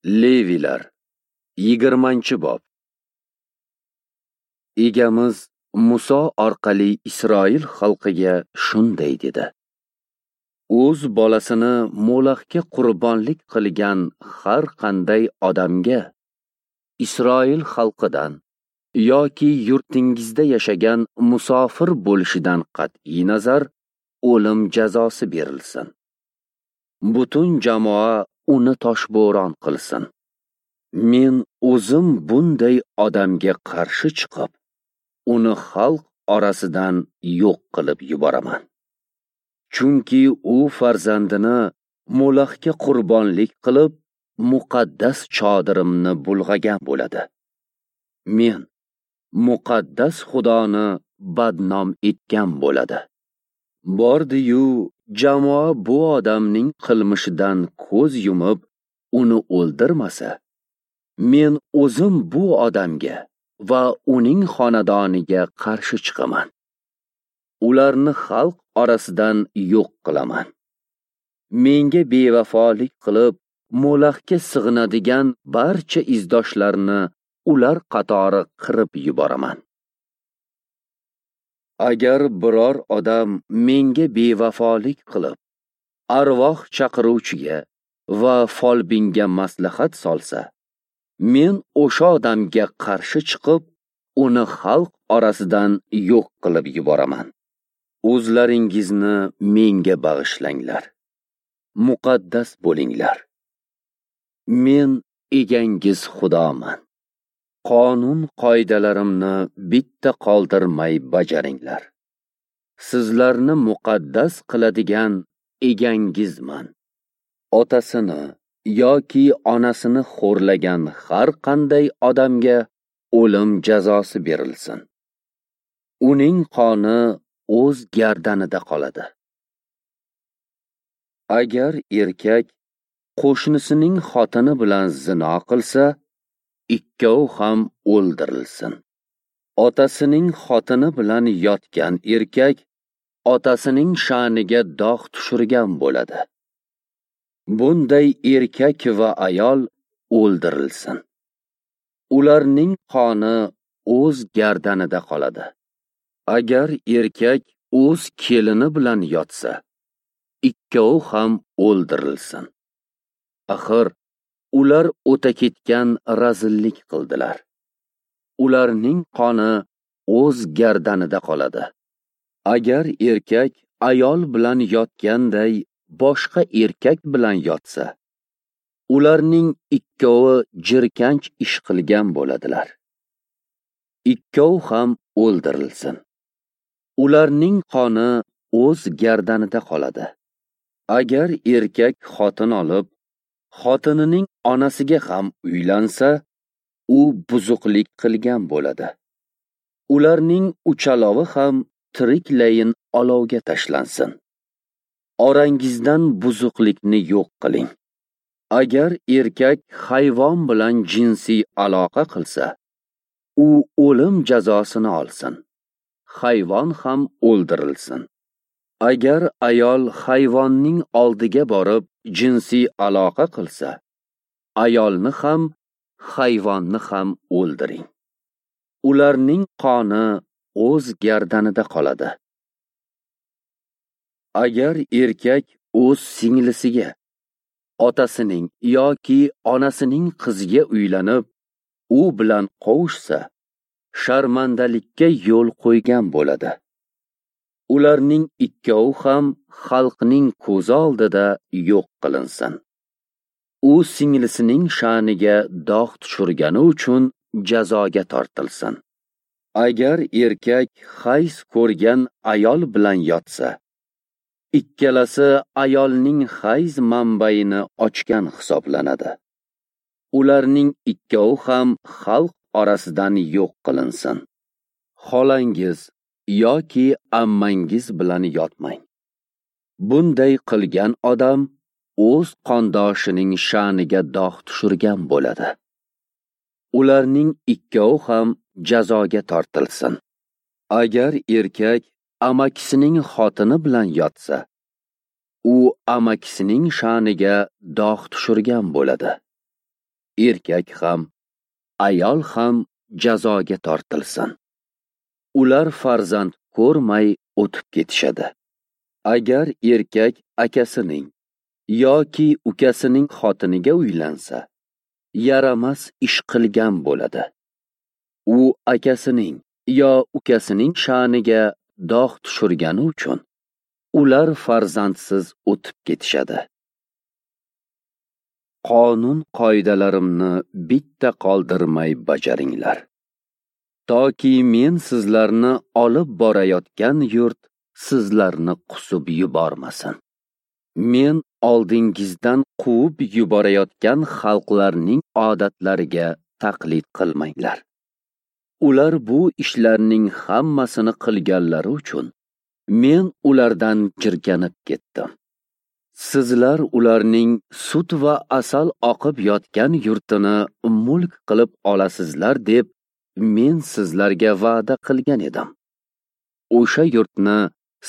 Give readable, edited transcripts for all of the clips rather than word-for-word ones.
Levilar 20-bob. Egamiz Muso orqali Isroil xalqiga shunday dedi: O'z bolasini Molaxga qurbonlik qilgan har qanday odamga Isroil xalqidan yoki yurtingizda yashagan musofir bo'lishidan qat'iy nazar o'lim jazosi berilsin. Butun jamoa uni toshbo'ron qilsin. Men o'zim bunday odamga qarshi chiqib, uni xalq orasidan yo'q qilib yuboraman. Chunki u farzandini Molaxga qurbonlik qilib, muqaddas chodirimni bulg'agan bo'ladi. Men muqaddas Xudoni badnom etgan bo'ladi. Bordi-yu, jamoa bu odamning qilmishidan ko'z yumib, uni o'ldirmasa, men o'zim bu odamga va uning xonadoniga qarshi chiqaman. Ularni xalq orasidan yo'q qilaman. Menga bevafolik qilib, Molaxga sig'inadigan barcha izdoshlarni ular qatori qirib yuboraman. Agar biror odam menga bevafolik qilib, arvoh chaqiruvchiga va folbinga maslahat solsa, men o'sha odamga qarshi chiqib, uni xalq orasidan yo'q qilib yuboraman. O'zlaringizni menga bag'ishlanglar. Muqaddas bo'linglar. Men egangiz Xudoman. Qonun qoidalarimni bitta qoldirmay bajaringlar. Sizlarni muqaddas qiladigan egangizman. Otasini yoki onasini xo'rlagan har qanday odamga o'lim jazosi berilsin. Uning qoni o'z gardanida qoladi. Agar erkak qo'shnisining xotini bilan zino qilsa, ikkovi ham o'ldirilsin. Otasining xotini bilan yotgan erkak otasining sha'niga dog' tushirgan bo'ladi. Bunday erkak va ayol o'ldirilsin. Ularning qoni o'z gardanida qoladi. Agar erkak o'z kelini bilan yotsa, ikkovi ham o'ldirilsin. Axir ular o'ta ketgan razillik qildilar. Ularning qoni o'z gardanida qoladi. Agar erkak ayol bilan yotganday boshqa erkak bilan yotsa, ularning ikkovi jirkanch ish qilgan bo'ladilar. Ikkovi ham o'ldirilsin. Ularning qoni o'z gardanida qoladi. Agar erkak xotin olib, xotinining onasiga ham uylansa, u buzuqlik qilgan bo'ladi. Ularning uchalovi ham tiriklayin olovga tashlansin. Orangizdan buzuqlikni yo'q qiling. Agar erkak hayvon bilan jinsiy aloqa qilsa, u o'lim jazosini olsin. Hayvon ham o'ldirilsin. Agar ayol hayvonning oldiga borib jinsiy aloqa qilsa, ayolni ham, hayvonni ham o'ldiring. Ularning qoni o'z gardanida qoladi. Agar erkak o'z singlisiga, otasining yoki onasining qiziga uylanib, u bilan qovushsa, sharmandalikka yo'l qo'ygan bo'ladi. Ularning ikkovi ham xalqning ko'zi oldida yo'q qilinsin. U singlisining sha'niga dog' tushirgani uchun jazoga tortilsin. Agar erkak hayz ko'rgan ayol bilan yotsa, ikkalasi ayolning hayz manbaini ochgan hisoblanadi. Ularning ikkovi ham xalq orasidan yo'q qilinsin. Xolangiz yoki ammangiz bilan yotmang. Bunday qilgan odam o'z qondoshining sha'niga dog' tushirgan bo'ladi. Ularning ikkovi ham jazoga tortilsin. Agar erkak amakisining xotini bilan yotsa, u amakisining sha'niga dog' tushirgan bo'ladi. Erkak ham, ayol ham jazoga tortilsin. Ular farzand ko'rmay o'tib ketishadi. Agar erkak akasining yoki ukasining xotiniga uylansa, yaramas ish qilgan bo'ladi. U akasining yo ukasining sha'niga dog' tushirgani uchun ular farzandsiz o'tib ketishadi. Qonun qoidalarimni bitta qoldirmay bajaringlar, toki men sizlarni olib borayotgan yurt sizlarni qusib yubormasin. Men oldingizdan quvib yuborayotgan xalqlarning odatlariga taqlid qilmanglar. Ular bu ishlarning hammasini qilganlari uchun men ulardan jirkanib ketdim. Sizlar ularning sut va asal oqib yotgan yurtini mulk qilib olasizlar deb men sizlarga va'da qilgan edim. O'sha yurtni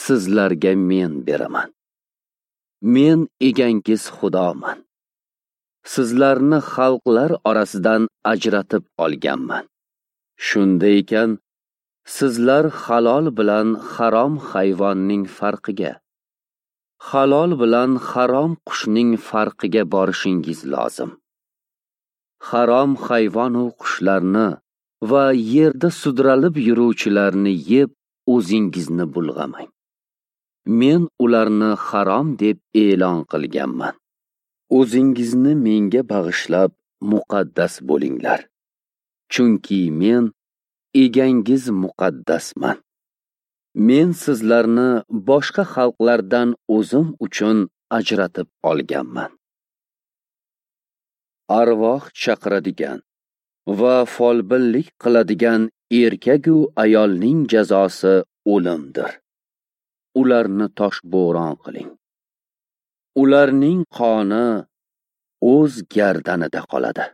sizlarga men beraman. Men egangiz Xudoman. Sizlarni xalqlar orasidan ajratib olganman. Shunda ekan, sizlar halol bilan harom hayvonning farqiga, halol bilan harom qushning farqiga borishingiz lozim. Harom hayvon u qushlarni va yerda sudralib yuruvchilarni yeb o'zingizni bulg'amang. Men ularni harom deb e'lon qilganman. O'zingizni menga bag'ishlab muqaddas bo'linglar. Chunki men egangiz muqaddasman. Men sizlarni boshqa xalqlardan o'zim uchun ajratib olganman. Arvoh chaqiradigan va folbinlik qiladigan erkak-u ayolning jazosi o'limdir. Ularni toshbo'ron qiling. Ularning qoni o'z gardanida qoladi.